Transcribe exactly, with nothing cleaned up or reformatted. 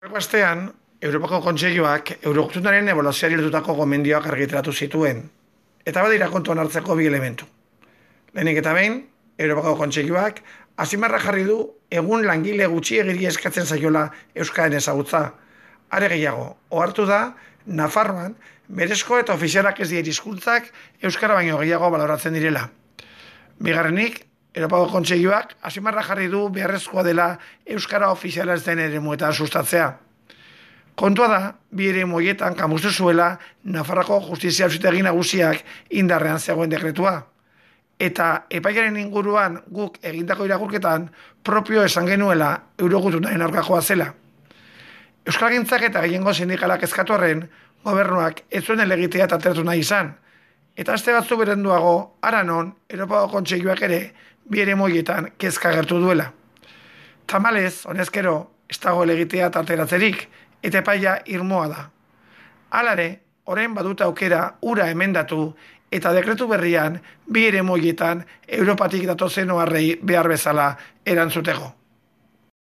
Aurreko astean, Europako Kontseiluak Eurogutunaren ebaluazioari lotutako gomendioak argitaratu zituen, eta badira kontuan hartzeko bi elementu. Lehenik eta behin, Europako Kontseiluak azpimarra jarri du egun langile gutxiegiri eskatzen zaiola euskaren ezagutza. Are gehiago, ohartu da Nafarroan berezko eta ofizialak ez diren hizkuntzak euskara baino gehiago baloratzen direla. Bigarrenik, Europako Kontseiluak azpimarra jarri du beharrezkoa dela euskara ofiziala ez den eremuetan sustatzea. Kontua da, bi eremu horietan kamustu zuela Nafarroako Justizia Auzitegi Nagusiak indarrean zegoen dekretua. Eta epaiaren inguruan guk egindako irakurketan propio esan genuela Eurogutunaren aurkakoa zela. Euskalgintzak eta gehiengo sindikalak eskatu arren, gobernuak ez zuen helegitea atertu nahi izan. Eta aste batzu beranduago, hara non, Europako Kontseiluak ere bi eremu horietan kezka agertu duela. Tamalez, honezkero, ez dago helegitea ateratzerik, eta epaia irmoa da. Halare, orain badute aukera ura emendatu eta dekretu berrian bi eremu horietan Europatik datozen oharrei behar bezala erantzuteko.